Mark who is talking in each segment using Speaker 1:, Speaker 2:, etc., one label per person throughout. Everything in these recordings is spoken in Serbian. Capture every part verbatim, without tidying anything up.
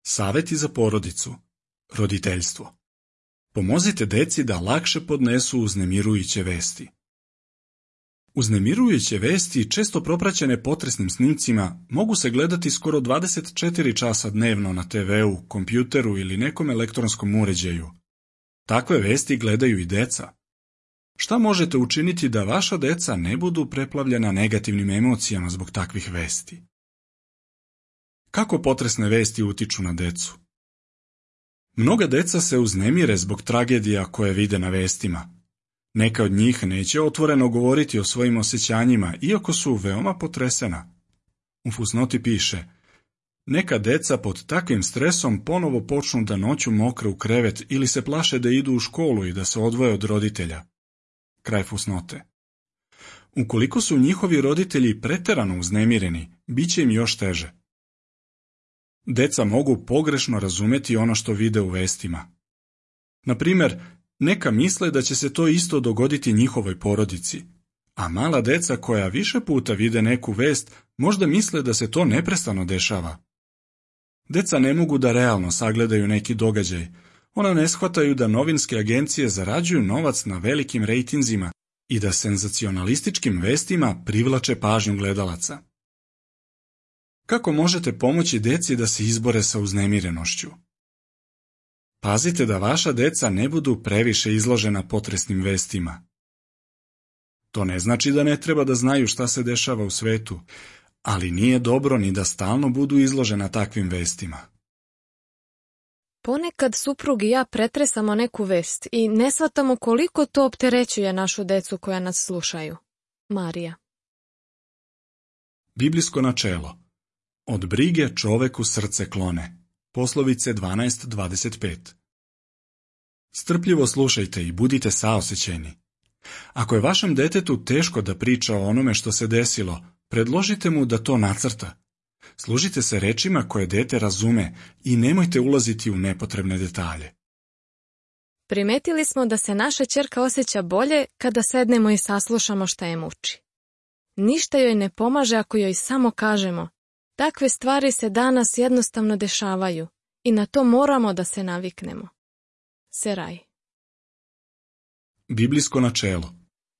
Speaker 1: Saveti za porodicu. Roditeljstvo. Pomozite deci da lakše podnesu uznemirujuće vesti. Uznemirujuće vesti, često propraćene potresnim snimcima, mogu se gledati skoro dvadeset četiri časa dnevno na te veu, kompjuteru ili nekom elektronskom uređaju. Takve vesti gledaju i deca. Šta možete učiniti da vaša deca ne budu preplavljena negativnim emocijama zbog takvih vesti? Kako potresne vesti utiču na decu? Mnoga deca se uznemire zbog tragedija koje vide na vestima. Neka od njih neće otvoreno govoriti o svojim osjećanjima, iako su veoma potresena. U fusnoti piše: neka deca pod takvim stresom ponovo počnu da noću mokre u krevet ili se plaše da idu u školu i da se odvoje od roditelja. Kraj fusnote. Ukoliko su njihovi roditelji preterano uznemireni, bit će im još teže. Deca mogu pogrešno razumeti ono što vide u vestima. Na primjer, neka misle da će se to isto dogoditi njihovoj porodici, a mala deca koja više puta vide neku vest možda misle da se to neprestano dešava. Deca ne mogu da realno sagledaju neki događaj. Ona ne shvataju da novinske agencije zarađuju novac na velikim rejtinzima i da senzacionalističkim vestima privlače pažnju gledalaca. Kako možete pomoći deci da se izbore sa uznemirenošću? Pazite da vaša deca ne budu previše izložena potresnim vestima. To ne znači da ne treba da znaju šta se dešava u svetu, ali nije dobro ni da stalno budu izložena takvim vestima.
Speaker 2: Ponekad suprug i ja pretresamo neku vest i ne shvatamo koliko to opterećuje našu decu koja nas slušaju. Marija.
Speaker 1: Biblijsko načelo. Od brige čoveku srce klone. Poslovice dvanaest dvadeset pet. Strpljivo slušajte i budite saosećajni. Ako je vašem detetu teško da priča o onome što se desilo, predložite mu da to nacrta. Služite se rečima koje dete razume i nemojte ulaziti u nepotrebne detalje.
Speaker 2: Primetili smo da se naša ćerka osjeća bolje kada sednemo i saslušamo šta je muči. Ništa joj ne pomaže ako joj samo kažemo: takve stvari se danas jednostavno dešavaju i na to moramo da se naviknemo. Seraj.
Speaker 1: Biblijsko načelo.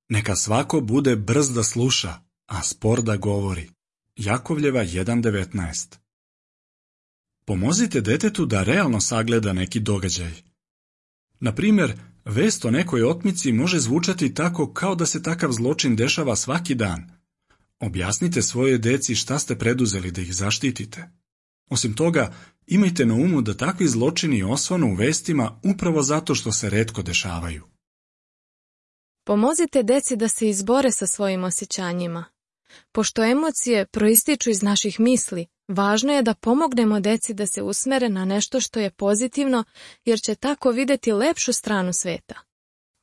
Speaker 1: Neka svako bude brz da sluša, a spor da govori. Jakovljeva jedan devetnaest. Pomozite detetu da realno sagleda neki događaj. Na primjer, vest o nekoj otmici može zvučati tako kao da se takav zločin dešava svaki dan. Objasnite svojoj deci šta ste preduzeli da ih zaštitite. Osim toga, imajte na umu da takvi zločini osvanu u vestima upravo zato što se retko dešavaju.
Speaker 2: Pomozite deci da se izbore sa svojim osjećanjima. Pošto emocije proističu iz naših misli, važno je da pomognemo deci da se usmere na nešto što je pozitivno, jer će tako videti lepšu stranu sveta.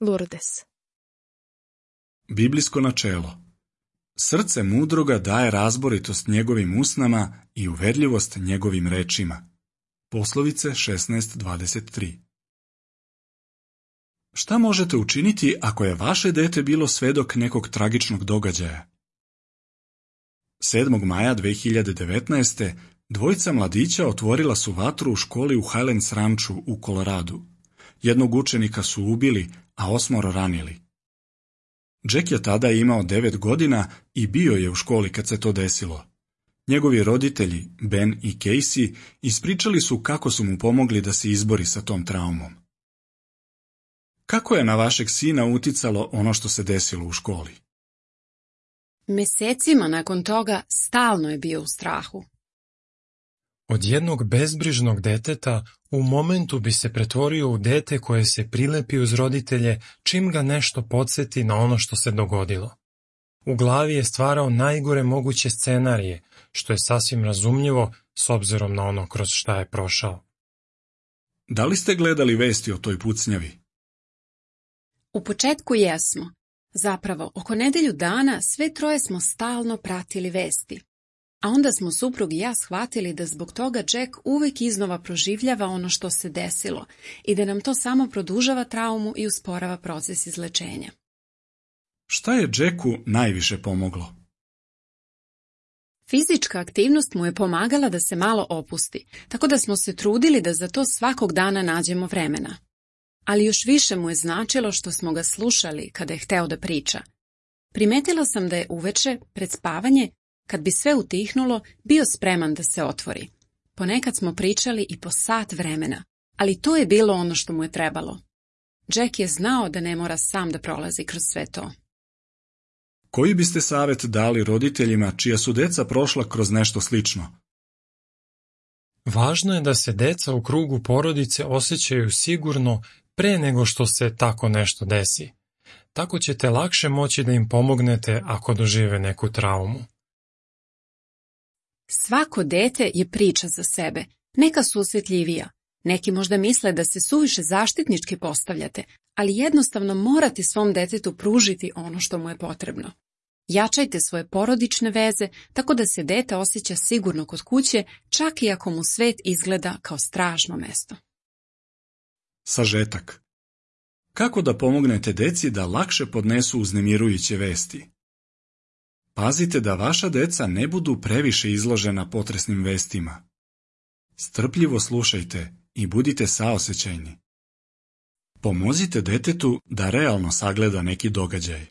Speaker 2: Lourdes.
Speaker 1: Biblijsko načelo. Srce mudroga daje razboritost njegovim usnama i uverljivost njegovim rečima. Poslovice šesnaest dvadeset tri. Šta možete učiniti ako je vaše dete bilo svedok nekog tragičnog događaja? sedmog maja dve hiljade devetnaeste. dvojica mladića otvorila su vatru u školi u Highlands Ranchu u Koloradu. Jednog učenika su ubili, a osmoro ranili. Jack je tada imao devet godina i bio je u školi kad se to desilo. Njegovi roditelji, Ben i Casey, ispričali su kako su mu pomogli da se izbori sa tom traumom. Kako je na vašeg sina uticalo ono što se desilo u školi?
Speaker 3: Mesecima nakon toga stalno je bio u strahu.
Speaker 4: Od jednog bezbrižnog deteta u momentu bi se pretvorio u dete koje se prilepi uz roditelje čim ga nešto podsjeti na ono što se dogodilo. U glavi je stvarao najgore moguće scenarije, što je sasvim razumljivo s obzirom na ono kroz šta je prošao.
Speaker 1: Da li ste gledali vesti o toj pucnjavi?
Speaker 3: U početku jesmo. Zapravo, oko nedelju dana sve troje smo stalno pratili vesti. A onda smo suprug i ja shvatili da zbog toga Jack uvijek iznova proživljava ono što se desilo i da nam to samo produžava traumu i usporava proces izlečenja.
Speaker 1: Šta je Jacku najviše pomoglo?
Speaker 3: Fizička aktivnost mu je pomagala da se malo opusti, tako da smo se trudili da za to svakog dana nađemo vremena. Ali još više mu je značilo što smo ga slušali kada je hteo da priča. Primetila sam da je uveče, pred spavanje, kad bi sve utihnulo, bio spreman da se otvori. Ponekad smo pričali i po sat vremena, ali to je bilo ono što mu je trebalo. Jack je znao da ne mora sam da prolazi kroz sve to.
Speaker 1: Koji biste savjet dali roditeljima čija su deca prošla kroz nešto slično?
Speaker 4: Važno je da se deca u krugu porodice osjećaju sigurno pre nego što se tako nešto desi. Tako ćete lakše moći da im pomognete ako dožive neku traumu.
Speaker 3: Svako dete je priča za sebe, neka su osjetljivija. Neki možda misle da se suviše zaštitnički postavljate, ali jednostavno morate svom detetu pružiti ono što mu je potrebno. Jačajte svoje porodične veze tako da se dete osjeća sigurno kod kuće, čak i ako mu svet izgleda kao strašno mesto.
Speaker 1: Sažetak. Kako da pomognete deci da lakše podnesu uznemirujuće vesti? Pazite da vaša deca ne budu previše izložena potresnim vestima. Strpljivo slušajte i budite saosećajni. Pomozite detetu da realno sagleda neki događaj.